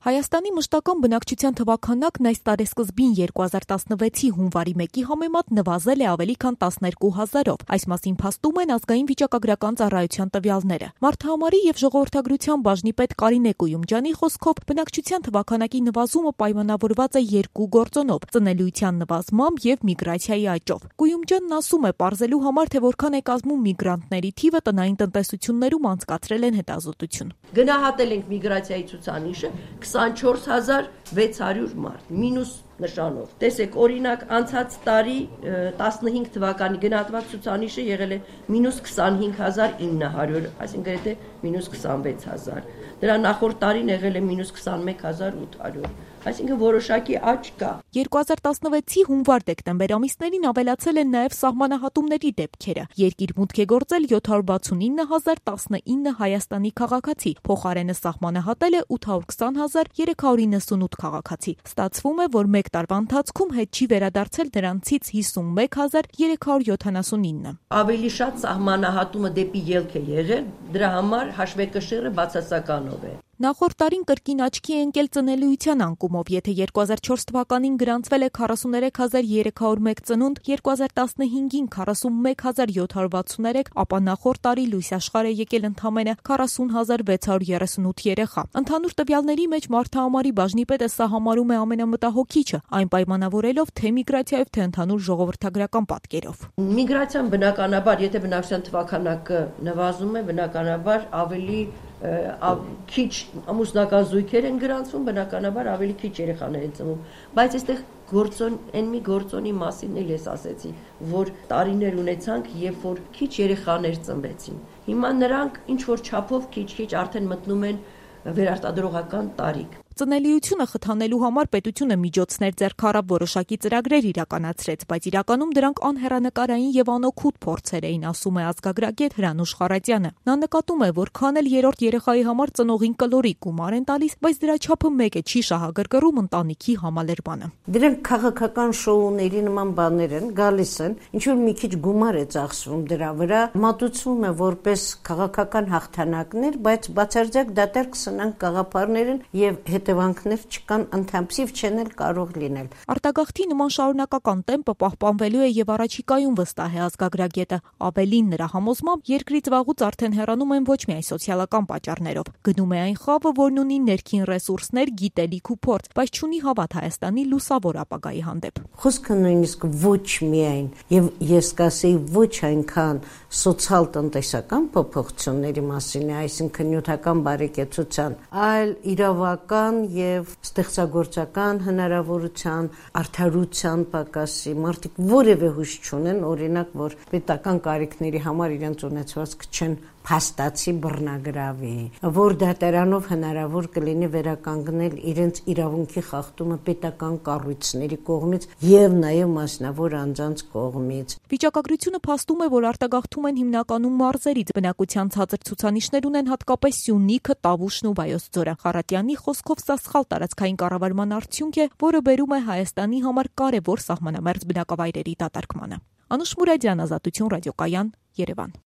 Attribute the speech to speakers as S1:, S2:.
S1: Հայաստանի մշտական բնակչության թվաքանակն այս տարեսկզբին 2016-ի հունվարի 1-ի համեմատ նվազել է ավելի քան 12,000-ով։ Այս մասին փաստում են ազգային վիճակագրական ծառայության տվյալները։ Մարդահամարի եւ ժողովրդագրության բաժնի պետ Կարինե Կույումջյանի խոսքով բնակչության թվաքանակի նվազումը պայմանավորված է երկու գործոնով՝ ծնելիության նվազմամբ եւ միգրացիայի աճով։ Կույումջյանն ասում է, պարզելու համար, թե որքան է կազմում միգրանտների թիվը, տնային տնտեսություններում անցկացրել են հետազոտություն։
S2: Գնահատել ենք միգրացիայի ցուցանիշը 24600 մարդ, մինուս նշանով։ Տեսեք, օրինակ, անցած տարի 15 թվականի գնահատված ցուցանիշը եղել է մինուս 25900, այսինքն գրեթե մինուս 26000։ Դրա նախորդ տարին եղել է մինուս 21800, այսինքն որոշակի աճ կա։
S1: 2016-ի հունվար-դեկտեմբեր ամիսներին ավելացել են նաև սահմանահատումների դեպքերը։ Երկիր մուտք է գործել 789,019 Հայաստանի քաղաքացի, փոխարենը սահմանահատել է 820,398 քաղաքացի։ Ստացվում է, որ մեկ տարվա ընթացքում հետ չի վերադարձել նրանցից 51,379։
S2: Ավելի շատ սահմանահատումը դեպի ելք է եղել, դրա համար հաշվեկշիռը բացասականով է։
S1: Նախորդ տարին կրկին աչքի է ընկել ծնելիության անկումով, եթե 2004 թվականին գրանցվել է 43301 ծնունդ, 2015-ին 41763, ապա նախորդ տարի լույս աշխարհ է եկել ընդամենը 40638 երեխա։ Ընդհանուր տվյալների մեջ Մարդահամարի բաժնի պետը սա համարում է ամենամտահոգիչը, այն պայմանավորելով թե միգրացիայով, թե ընդհանուր ժողովրդագրական պատկերով։
S2: Միգրացիան բնականաբար, եթե բնակչության թվաքանակը նվազում է, բնականաբար ավելի քիչ ամուսնական զույգեր են գրանցվում, բնականաբար ավելի քիչ երեխաներ են ծնվում, բայց այստեղ այն մի գործոնի մասին էլ ես ասեցի, որ տարիներ ունեցանք, երբ որ քիչ երեխաներ ծնվեցին։ Հիմա նրանք ինչ որ չափով քիչ-քիչ արդեն մտնում են վերարտադրողական տարիք։
S1: Ծնելիությունը խթանելու համար պետությունը միջոցներ ձեռք առավ, որոշակի ծրագրեր իրականացրեց, բայց իրականում դրանք անհեռանկարային եւ անօգուտ փորձեր էին, ասում է ազգագրագետ Հրանուշ Խառատյանը։ Նա նկատում է, որ քան էլ երրորդ երեխայի համար ծնողին կլորի գումար են տալիս, բայց դրա չափը մեկ է, չի շահագրգռում ընտանիքի համալրմանը։
S3: Դրանք քաղաքական շոուների նման բաներ են, գալիս են, ինչ որ մի քիչ գումար է ծախսվում դրա վրա, մատուցվում է որպես քաղաքական հաղթանակներ, բայց բացարձակ դատարկ սնանկ գաղափարներ են եւ հետևանքներ չկան, ընդհանրիվ չեն էլ կարող լինել։
S1: Արտագաղթի նման շարունակական տեմպը պահպանվելու է եւ առաջիկայում, վստահ է ազգագրագետը։ Ավելին, նրա համոզմամբ, երկրից վաղուց արդեն հեռանում են ոչ միայն սոցիալական պատճառներով։ Գնում է այն խավը, որն ունի ներքին ռեսուրսներ, գիտելիք ու փորձ, բայց չունի հավատ Հայաստանի լուսավոր ապագայի հանդեպ։
S3: Խոսքը նույնիսկ ոչ միայն եւ ես կասեի ոչ այնքան սոցիալ-տնտեսական փոփոխությունների մասին է, այսինքն նյութական բարեկեցության, այլ իրավական եւ ստեղծագործական հնարավորության, արդարության պակասի, մարդիկ որևէ հույս չունեն, օրինակ, որ պետական կարիքների համար իրենց ունեցվածքը չեն փաստացի բռնագրավի, որ դատարանով հնարավոր կլինի վերականգնել իրենց իրավունքի խախտումը պետական կառույցների կողմից եւ նաեւ մասնավոր անձանց կողմից։
S1: Վիճակագրությունը փաստում է, որ արտագաղթում են հիմնականում մարզերից, բնակության ցածր ցուցանիշներ ունեն հատկապես Սյունիքը, Տավուշն ու Վայոց ձորը։ Խառատյանի խոսքով սա սխալ տարածքային կառավարման արդյունք է, որը բերում է Հայաստանի համար կարևոր սահմանամերձ բնակավայրերի դատարկմանը։ Անուշ Մուրադյան, Ազատություն ռադիոկայան, Երևան։